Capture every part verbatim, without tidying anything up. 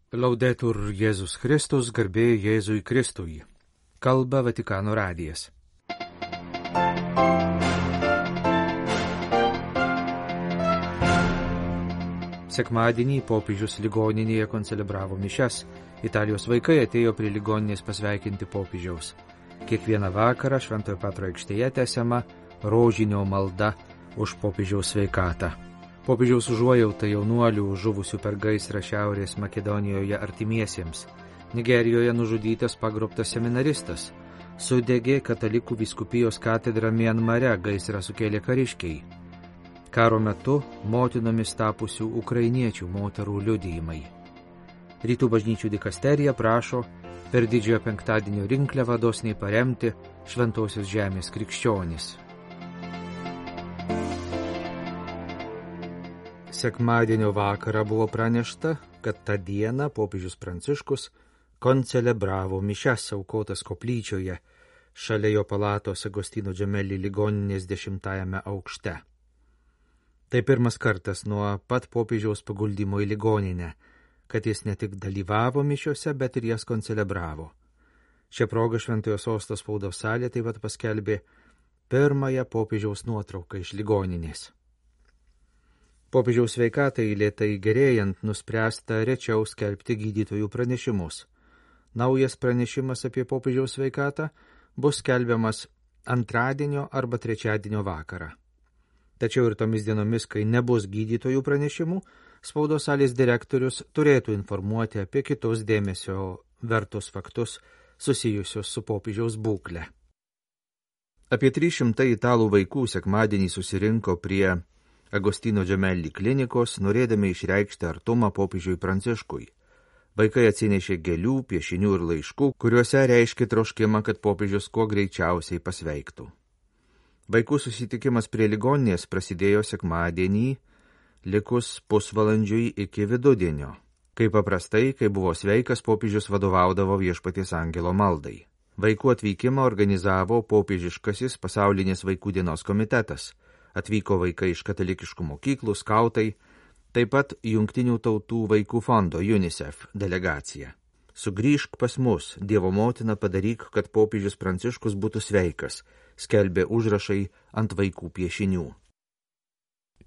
Laudetur Jėzus Kristus, garbė Jėzui Kristui. Kalba Vatikano radijas. Sekmadienį popiežius ligoninėje koncelebravo mišias. Italijos vaikai atėjo prie ligoninės pasveikinti popiežiaus. Kiekvieną vakarą Šventojo Petro aikštėje tęsiama rožinio malda už popiežiaus sveikatą. Popiežiaus užuojauta jaunuolių žuvusių per gaisrą Šiaurės Makedonijoje artimiesiems. Nigerijoje nužudytas pagrobtas seminaristas. Sudegė katalikų vyskupijos katedra Mianmare, gaisrą sukėlė kariškiai. Karo metu motinomis tapusių ukrainiečių moterų liudijimai. Rytų bažnyčių dikasterija prašo per didžiojo penktadienio rinkliavą dosniai paremti Šventosios žemės krikščionis. Sekmadienio vakarą buvo pranešta, kad tą dieną popiežius Pranciškus koncelebravo mišias aukotas koplyčioje šalia jo palatos Agostino Gemelli ligoninės dešimtajame aukšte. Tai pirmas kartas nuo pat popiežiaus paguldymo į ligoninę, kad jis ne tik dalyvavo mišiose, bet ir jas koncelebravo. Šią progą Šventojo Sosto spaudos salė taip pat paskelbė pirmąją popiežiaus nuotrauką iš ligoninės. Popiežiaus sveikatai lėtai gerėjant nuspręsta rečiau skelbti gydytojų pranešimus. Naujas pranešimas apie popiežiaus sveikatą bus skelbiamas antradienio arba trečiadienio vakarą. Tačiau ir tomis dienomis, kai nebus gydytojų pranešimų, spaudos salės direktorius turėtų informuoti apie kitus dėmesio vertus faktus susijusius su popiežiaus būkle. Apie trys šimtai italų vaikų sekmadienį susirinko prie Agostino Gemelli klinikos, norėdami išreikšti artumą popiežiui Pranciškui. Vaikai atsinešė gėlių, piešinių ir laiškų, kuriuose reiškė troškimą, kad popiežius kuo greičiausiai pasveiktų. Vaikų susitikimas prie ligoninės prasidėjo sekmadienį, likus pusvalandžiui iki vidudienio. Kaip paprastai, kai buvo sveikas, popiežius vadovaudavo Viešpaties angelo maldai. Vaikų atvykimą organizavo popiežiškasis pasaulinės vaikų dienos komitetas. Atvyko vaikai iš katalikiškų mokyklų, skautai, taip pat Jungtinių tautų vaikų fondo UNICEF delegacija. Sugrįžk pas mus, Dievo motina, padaryk, kad popiežius Pranciškus būtų sveikas, skelbė užrašai ant vaikų piešinių.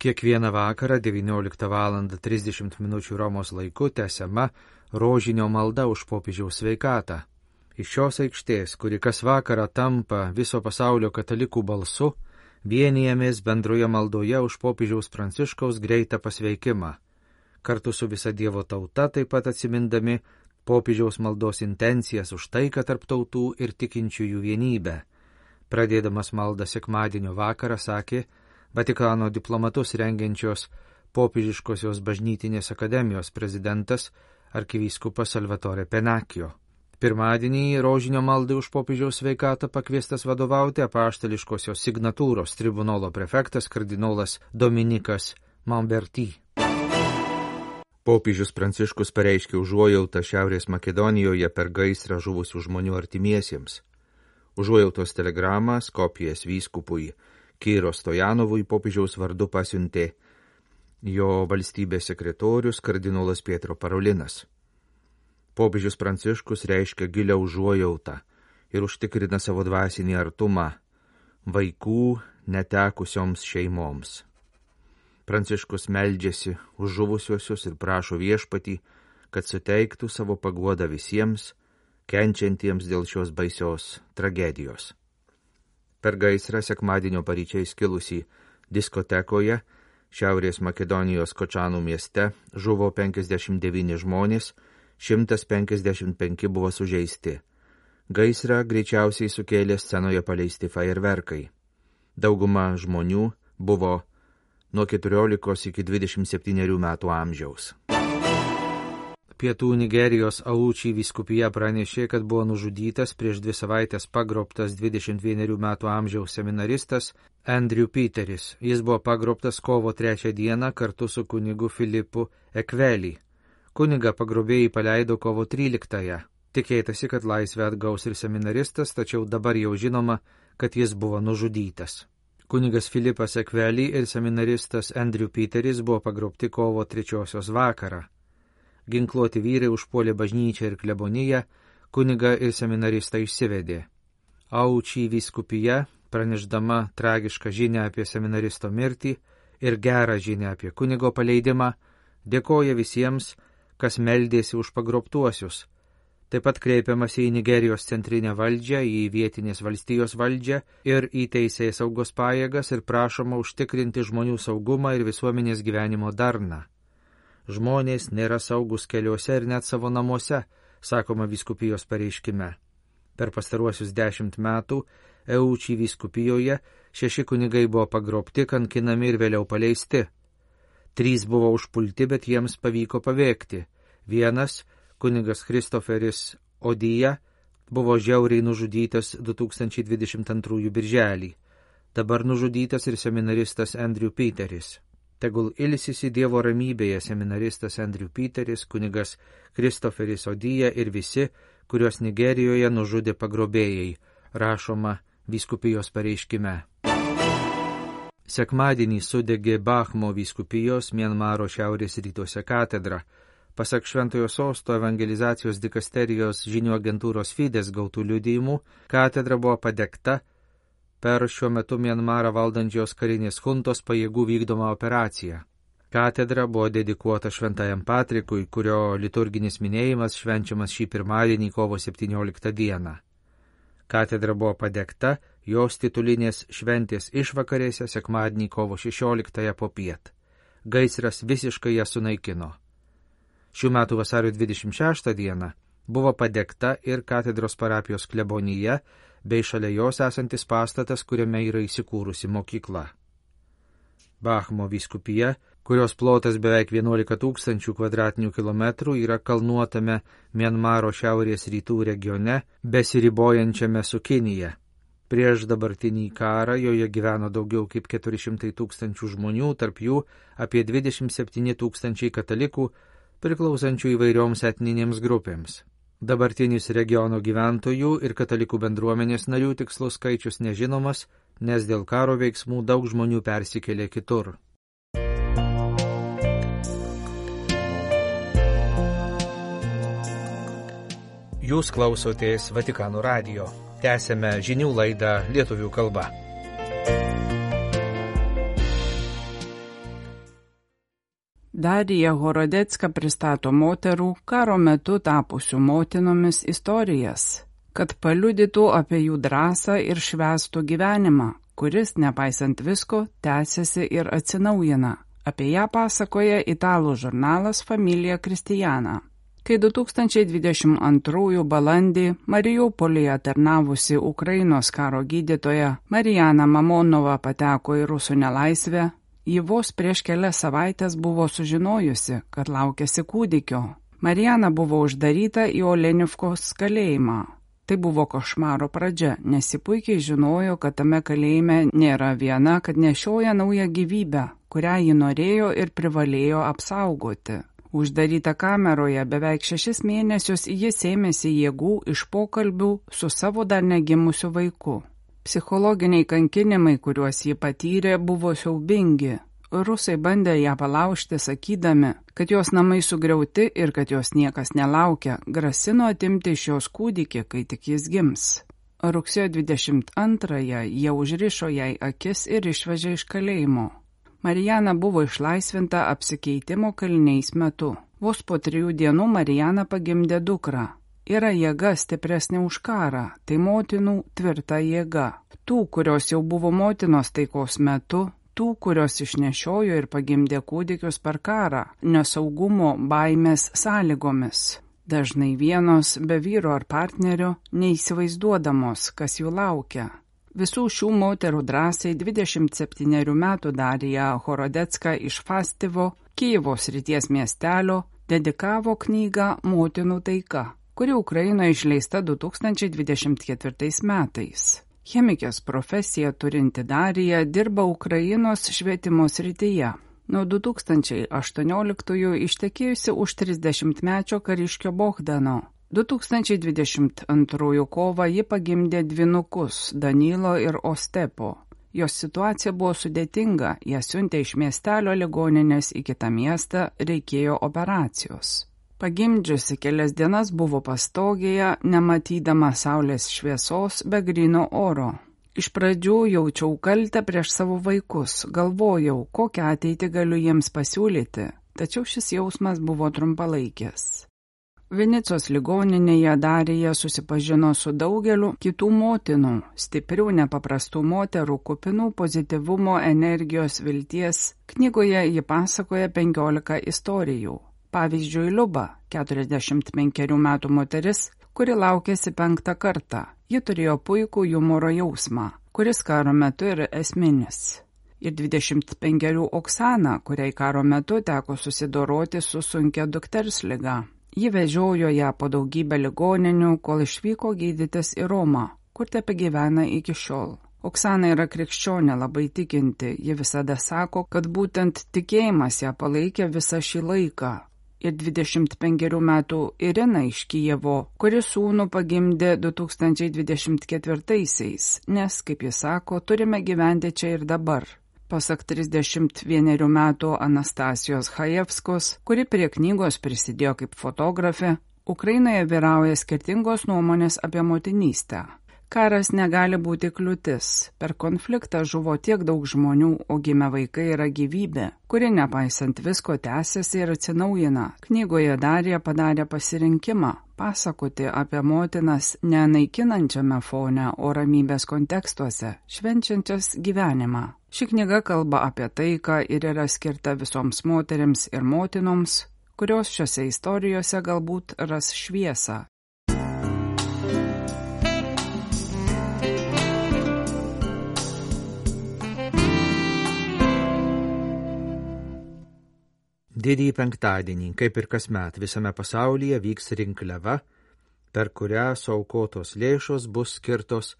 Kiekvieną vakarą devynioliktą valandą trisdešimt minučių Romos laiku tęsiama rožinio malda už popiežiaus sveikatą. Iš šios aikštės, kuri kas vakarą tampa viso pasaulio katalikų balsu, vienijamės bendroje maldoje už popiežiaus Pranciškaus greitą pasveikimą. Kartu su visa Dievo tauta taip pat atsimindami popiežiaus maldos intencijas už taiką tarp tautų ir tikinčiųjų vienybę. Pradėdamas maldą sekmadienio vakarą sakė Vatikano diplomatus rengiančios popiežiškosios bažnytinės akademijos prezidentas arkivyskupas Salvatore Pennacchio. Pirmadienį rožinio maldai už popiežiaus sveikatą pakviestas vadovauti apaštališkosios signatūros tribunolo prefektas kardinolas Dominikas Mamberti. Popiežius Pranciškus pareiškė užuojautą Šiaurės Makedonijoje per gaisrą žuvusių žmonių artimiesiems. Užuojautos telegramą Skopjės vyskupui Kyro Stojanovui popiežiaus vardu pasiuntė jo valstybės sekretorius kardinolas Pietro Parolinas. Popiežius Pranciškus reiškia gilią užuojautą ir užtikrina savo dvasinį artumą vaikų netekusioms šeimoms. Pranciškus meldžiasi už žuvusiuosius ir prašo Viešpatį, kad suteiktų savo paguodą visiems, kenčiantiems dėl šios baisios tragedijos. Per gaisrą sekmadienio paryčiais kilusį diskotekoje Šiaurės Makedonijos Kočanų mieste žuvo penkiasdešimt devyni žmonės, šimtas penkiasdešimt penki buvo sužeisti. Gaisrą greičiausiai sukėlė scenoje paleisti fajerverkai. Dauguma žmonių buvo nuo keturiolikos iki dvidešimt septynerių metų amžiaus. Pietų Nigerijos Aučiai vyskupija pranešė, kad buvo nužudytas prieš dvi savaitės pagrobtas dvidešimt vienerių metų amžiaus seminaristas Andrew Peteris. Jis buvo pagrobtas kovo trečią dieną kartu su kunigu Filipu Ekveli. Kunigą pagrobėjai paleido kovo tryliktąją. Tikėtasi, kad laisvę atgaus ir seminaristas, tačiau dabar jau žinoma, kad jis buvo nužudytas. Kunigas Filipas Ekveli ir seminaristas Andrew Peteris buvo pagrobti kovo trečiosios vakarą. ginkluoti vyrai užpuolė bažnyčią ir kleboniją, kunigą ir seminaristą išsivedė. Aučį vyskupija, pranešdama tragišką žinią apie seminaristo mirtį ir gerą žinią apie kunigo paleidimą, dėkoja visiems, kas meldėsi už pagrobtuosius. Taip pat kreipiamasi į Nigerijos centrinę valdžią, į vietinės valstijos valdžią ir į teisės saugos pajėgas ir prašoma užtikrinti žmonių saugumą ir visuomenės gyvenimo darną. Žmonės nėra saugus keliuose ir net savo namuose, sakoma vyskupijos pareiškime. Per pastaruosius dešimt metų Eučį vyskupijoje šeši kunigai buvo pagrobti, kankinami ir vėliau paleisti. Trys buvo užpulti, bet jiems pavyko pabėgti. Vienas, kunigas Christopheris Odija, buvo žiauriai nužudytas du tūkstančiai dvidešimt antrųjų birželį. Dabar nužudytas ir seminaristas Andrew Peteris. Tegul ilsisi Dievo ramybėje seminaristas Andrew Peteris, kunigas Christopheris Odija ir visi, kuriuos Nigerijoje nužudė pagrobėjai, rašoma vyskupijos pareiškime. Sekmadienį sudegė Bahmo vyskupijos Mianmaro šiaurės rytuose katedra. Pasak Šventojo Sosto evangelizacijos dikasterijos žinių agentūros Fides gautų liudijimų, katedra buvo padegta per šiuo metu Mianmarą valdančios karinės chuntos pajėgų vykdomą operaciją. Katedra buvo dedikuota Šventajam Patrikui, kurio liturginis minėjimas švenčiamas šį pirmadienį kovo septynioliktą dieną. Katedra buvo padegta jos titulinės šventės išvakarėse sekmadienį kovo šešioliktąją popiet. Gaisras visiškai ją sunaikino. Šių metų vasario dvidešimt šeštą dieną buvo padegta ir katedros parapijos klebonija bei šalia jos esantis pastatas, kuriame yra įsikūrusi mokykla. Bahmo vyskupija, kurios plotas beveik vienuolika tūkstančių kvadratinių kilometrų, yra kalnuotame Mianmaro šiaurės rytų regione, besiribojančiame su Kinija. Prieš dabartinį karą joje gyveno daugiau kaip keturi šimtai tūkstančių žmonių, tarp jų apie dvidešimt septyni tūkstančiai katalikų, priklausančių įvairioms etninėms grupėms. Dabartinis regiono gyventojų ir katalikų bendruomenės narių tikslus skaičius nežinomas, nes dėl karo veiksmų daug žmonių persikėlė kitur. Jūs klausotės Vatikano radijo. Tęsėme žinių laidą lietuvių kalba. Darija Horodecka pristato moterų karo metu tapusių motinomis istorijas, kad paliudytų apie jų drąsą ir švęstų gyvenimą, kuris, nepaisant visko, tęsiasi ir atsinaujina. Apie ją pasakoja italų žurnalas Familia Cristiana. Kai du tūkstančiai dvidešimt antrųjų balandį Mariupolyje tarnavusi Ukrainos karo gydytoja Marijana Mamonova pateko į rusų nelaisvę, ji vos prieš kelias savaitės buvo sužinojusi, kad laukiasi kūdikio. Marijana buvo uždaryta į Olenivkos kalėjimą. Tai buvo košmaro pradžia, nes ji puikiai žinojo, kad tame kalėjime nėra viena, kad nešioja naują gyvybę, kurią ji norėjo ir privalėjo apsaugoti. Uždaryta kameroje beveik šešis mėnesius jis ėmėsi jėgų iš pokalbių su savo dar negimusiu vaiku. Psichologiniai kankinimai, kuriuos ji patyrė, buvo siaubingi. Rusai bandė ją palaužti, sakydami, kad jos namai sugriauti ir kad jos niekas nelaukia, grasino atimti iš jos kūdikį, kai tik jis gims. Rugsėjo dvidešimt antrąją jie užrišo jai akis ir išvežė iš kalėjimo. Marijana buvo išlaisvinta apsikeitimo kaliniais metu. Vos po trijų dienų Marijana pagimdė dukrą. Yra jėga stipresnė už karą, tai motinų tvirta jėga. Tų, kurios jau buvo motinos taikos metu, tų, kurios išnešiojo ir pagimdė kūdikius per karą, nesaugumo, baimės sąlygomis. Dažnai vienos, be vyro ar partnerio, neįsivaizduodamos, kas jų laukia. Visų šių moterų drąsiai dvidešimt septynerių metų Darija Horodecka iš Fastivo, Kijevo srities miestelio, dedikavo knygą Motinų taika, kuri Ukrainoje išleista du tūkstančiai dvidešimt ketvirtais metais. Chemikės profesiją turinti Darija dirba Ukrainos švietimo srityje. Nuo du tūkstančiai aštuonioliktųjų ištekėjusi už trisdešimtmečio kariškio Bogdano. du tūkstančiai dvidešimt antrųjų kovą ji pagimdė dvynukus Danilo ir Ostepo. Jos situacija buvo sudėtinga, ją siuntė iš miestelio ligoninės į kitą miestą, reikėjo operacijos. Pagimdžiusi kelias dienas buvo pastogėje, nematydama saulės šviesos be gryno oro. Iš pradžių jaučiau kaltę prieš savo vaikus, galvojau, kokią ateitį galiu jiems pasiūlyti, tačiau šis jausmas buvo trumpalaikis. Venecijos ligoninėje Darija susipažino su daugeliu kitų motinų, stiprių nepaprastų moterų, kupinų pozityvumo, energijos, vilties. Knygoje ji pasakoja penkiolika istorijų. Pavyzdžiui, Liuba, keturiasdešimt penkerių metų moteris, kuri laukėsi penktą kartą. Ji turėjo puikų humoro jausmą, kuris karo metu yra esminis. Ir dvidešimt penkerių Oksana, kuriai karo metu teko susidoroti su sunkia dukters liga. Ji vežiojo ją po daugybę ligoninių, kol išvyko gydytis į Romą, kur tebegyvena iki šiol. Oksana yra krikščionė, labai tikinti, ji visada sako, kad būtent tikėjimas ją palaikė visą šį laiką. Ir dvidešimt penkerių metų Irina iš Kijevo, kuri sūnų pagimdė du tūkstančiai dvidešimt ketvirtaisiais, nes, kaip jis sako, turime gyventi čia ir dabar. Pasak trisdešimt vienerių metų Anastasijos Hajevskos, kuri prie knygos prisidėjo kaip fotografė, Ukrainoje vyrauja skirtingos nuomonės apie motinystę. Karas negali būti kliūtis. Per konfliktą žuvo tiek daug žmonių, o gimę vaikai yra gyvybė, kuri nepaisant visko tęsiasi ir atsinaujina. Knygoje Darija padarė pasirinkimą pasakoti apie motinas ne naikinančiame fone, o ramybės kontekstuose, švenčiančias gyvenimą. Ši knyga kalba apie taiką ir yra skirta visoms moterims ir motinoms, kurios šiose istorijose galbūt ras šviesą. Didįjį penktadienį, kaip ir kasmet, visame pasaulyje vyks rinkliava, per kurią suaukotos lėšos bus skirtos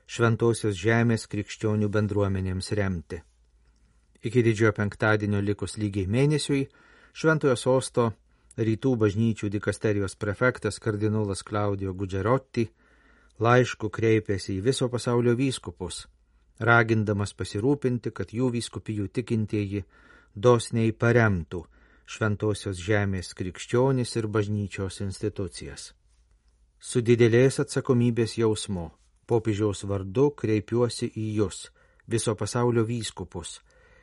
Šventosios žemės krikščionių bendruomenėms remti. Iki didžiojo penktadienio likus lygiai mėnesiui, Šventojo sosto rytų bažnyčių dikasterijos prefektas kardinolas Klaudijo Gudžerotti laišku kreipėsi į viso pasaulio vyskupus, ragindamas pasirūpinti, kad jų vyskupijų tikintieji dosniai paremtų Šventosios žemės krikščionis ir bažnyčios institucijas. Su didelės atsakomybės jausmu popiežiaus vardu kreipiuosi į jūs, viso pasaulio vyskupus,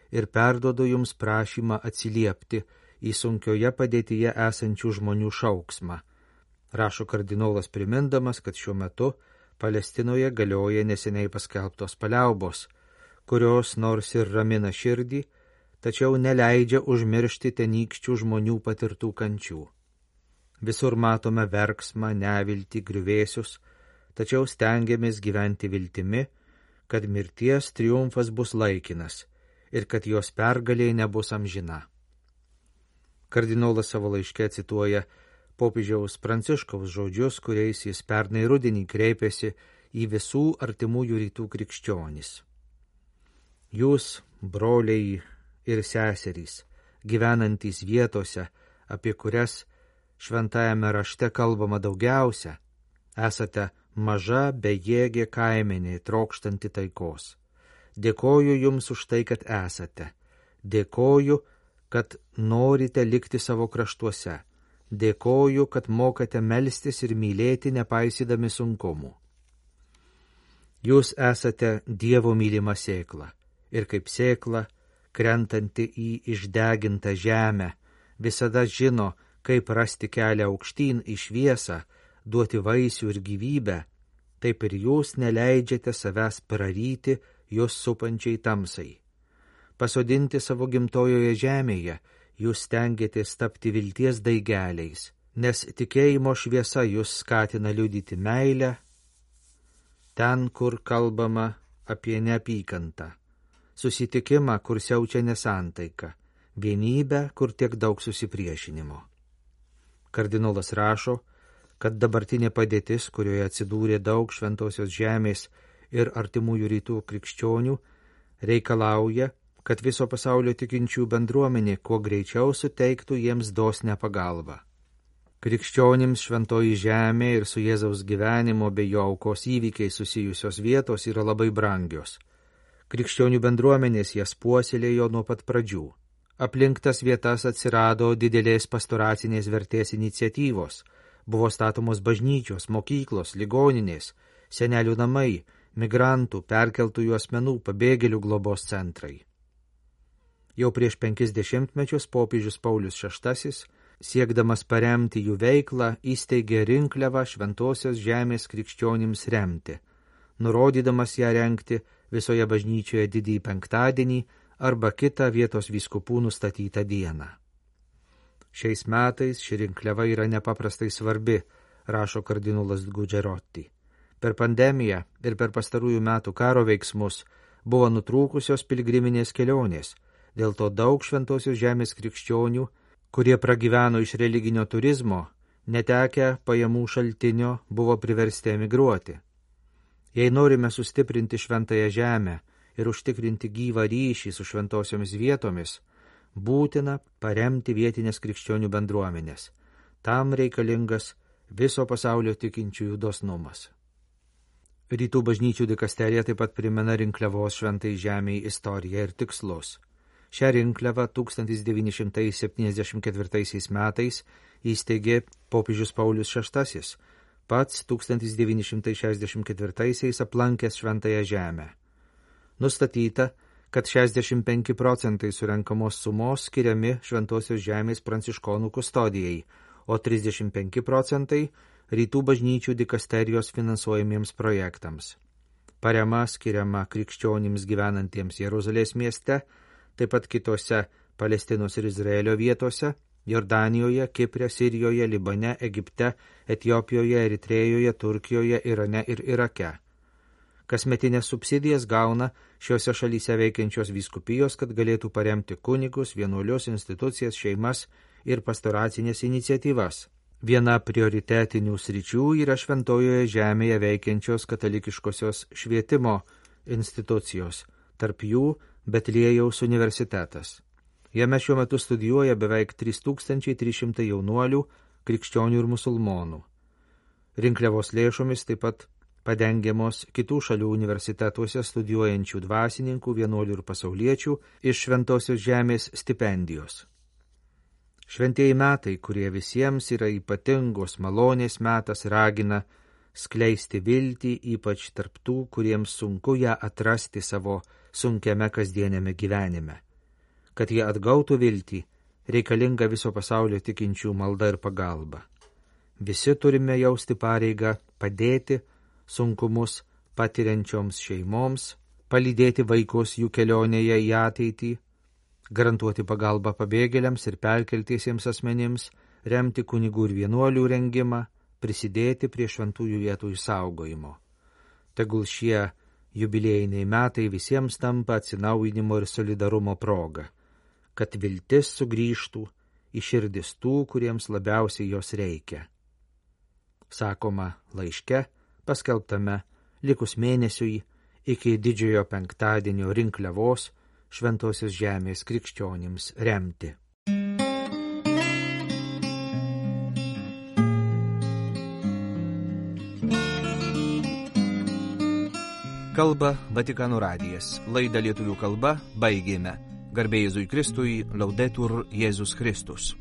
ir perduodu jums prašymą atsiliepti į sunkioje padėtyje esančių žmonių šauksmą, rašo kardinolas primindamas, kad šiuo metu Palestinoje galioja neseniai paskelbtos paliaubos, kurios nors ir ramina širdį, tačiau neleidžia užmiršti tenykščių žmonių patirtų kančių. Visur matome verksmą, neviltį, griuvėsius, tačiau stengiamės gyventi viltimi, kad mirties triumfas bus laikinas ir kad jos pergalė nebus amžina. Kardinolas savo laiške cituoja popiežiaus Pranciškaus žodžius, kuriais jis pernai rudenį kreipėsi į visų artimųjų rytų krikščionis. Jūs, broliai ir seserys, gyvenantys vietose, apie kurias šventajame rašte kalbama daugiausia, esate maža bejėgė kaimenė trokštanti taikos. Dėkoju jums už tai, kad esate. Dėkoju, kad norite likti savo kraštuose. Dėkoju, kad mokate melstis ir mylėti nepaisydami sunkumų. Jūs esate Dievo mylima sėkla ir kaip sėkla, krentanti į išdegintą žemę, visada žino, kaip rasti kelią aukštyn į šviesą, duoti vaisių ir gyvybę, taip ir jūs neleidžiate savęs praryti jūs supančiai tamsai. Pasodinti savo gimtojoje žemėje, jūs stengiatės tapti vilties daigeliais, nes tikėjimo šviesa jūs skatina liudyti meilę, ten, kur kalbama apie neapykantą, susitikimą, kur siaučia nesantaika, vienybę, kur tiek daug susipriešinimo. Kardinolas rašo, kad dabartinė padėtis, kurioje atsidūrė daug šventosios žemės ir artimųjų rytų krikščionių, reikalauja, kad viso pasaulio tikinčių bendruomenė kuo greičiau suteiktų jiems dosnią pagalbą. Krikščionims šventoji žemė ir su Jėzaus gyvenimo bei jo aukos įvykiai susijusios vietos yra labai brangios. Krikščionių bendruomenės jas puoselėjo nuo pat pradžių. Aplink tas vietas atsirado didelės pastoracinės vertės iniciatyvos. Buvo statomos bažnyčios, mokyklos, ligoninės, senelių namai, migrantų, perkeltųjų asmenų, pabėgėlių globos centrai. Jau prieš penkis dešimtmečius popiežius Paulius šeštasis, siekdamas paremti jų veiklą, įsteigė rinkliavą Šventosios žemės krikščionims remti, nurodydamas ją rengti visoje bažnyčioje didįjį penktadienį arba kitą vietos vyskupų nustatytą dieną. Šiais metais ši rinkliava yra nepaprastai svarbi, rašo kardinolas Gugerotti. Per pandemiją ir per pastarųjų metų karo veiksmus buvo nutrūkusios piligriminės kelionės, dėl to daug Šventosios žemės krikščionių, kurie pragyveno iš religinio turizmo, netekę pajamų šaltinio, buvo priversti emigruoti. Jei norime sustiprinti šventąją žemę ir užtikrinti gyvą ryšį su šventosiomis vietomis, būtina paremti vietinės krikščionių bendruomenės. Tam reikalingas viso pasaulio tikinčiųjų dosnumas. Rytų bažnyčių dikasterija taip pat primena rinkliavos šventai žemei istoriją ir tikslus. Šią rinkliavą tūkstantis devyni šimtai septyniasdešimt ketvirtaisiais metais įsteigė popiežius Paulius šeštasis, pats tūkstantis devyni šimtai šešiasdešimt ketvirtaisiais aplankęs šventąją žemę. Nustatyta, kad šešiasdešimt penki procentai surenkamos sumos skiriami Šventosios žemės pranciškonų kustodijai, o trisdešimt penki procentai rytų bažnyčių dikasterijos finansuojamiems projektams. Parema skiriama krikščionims gyvenantiems Jeruzalės mieste, taip pat kitose Palestinos ir Izraelio vietose, Jordanijoje, Kipre, Sirijoje, Libane, Egipte, Etiopijoje, Eritrėjoje, Turkijoje, Irane ir Irake. Kasmetinės subsidijas gauna šiuose šalyse veikiančios vyskupijos, kad galėtų paremti kunigus, vienuolius, institucijas, šeimas ir pastoracinės iniciatyvas. Viena prioritetinių sričių yra Šventojoje žemėje veikiančios katalikiškosios švietimo institucijos, tarp jų Betliejaus universitetas. Jame šiuo metu studijuoja beveik trys tūkstančiai trys šimtai jaunuolių, krikščionių ir musulmonų. Rinkliavos lėšomis taip pat padengiamos kitų šalių universitetuose studijuojančių dvasininkų, vienuolių ir pasauliečių iš Šventosios žemės stipendijos. Šventieji metai, kurie visiems yra ypatingos malonės metas, ragina skleisti viltį, ypač tarp tų, kuriems sunku ją atrasti savo sunkiame kasdienėme gyvenime. Kad jie atgautų viltį, reikalinga viso pasaulio tikinčių malda ir pagalba. Visi turime jausti pareigą padėti sunkumus patiriančioms šeimoms, palydėti vaikus jų kelionėje į ateitį, garantuoti pagalbą pabėgėliams ir perkeltiesiems asmenims, remti kunigų ir vienuolių rengimą, prisidėti prie šventųjų vietų išsaugojimo. Tegul šie jubiliejiniai metai visiems tampa atsinaujinimo ir solidarumo proga, kad viltis sugrįžtų į širdis tų, kuriems labiausiai jos reikia. Sakoma laiške, paskelbtame likus mėnesiui iki didžiojo penktadienio rinkliavos Šventosios žemės krikščionims remti. Kalba Vatikano radijas. Laidą lietuvių kalba baigėme. Garbė Jėzui Kristui, Laudetur Jėzus Kristus.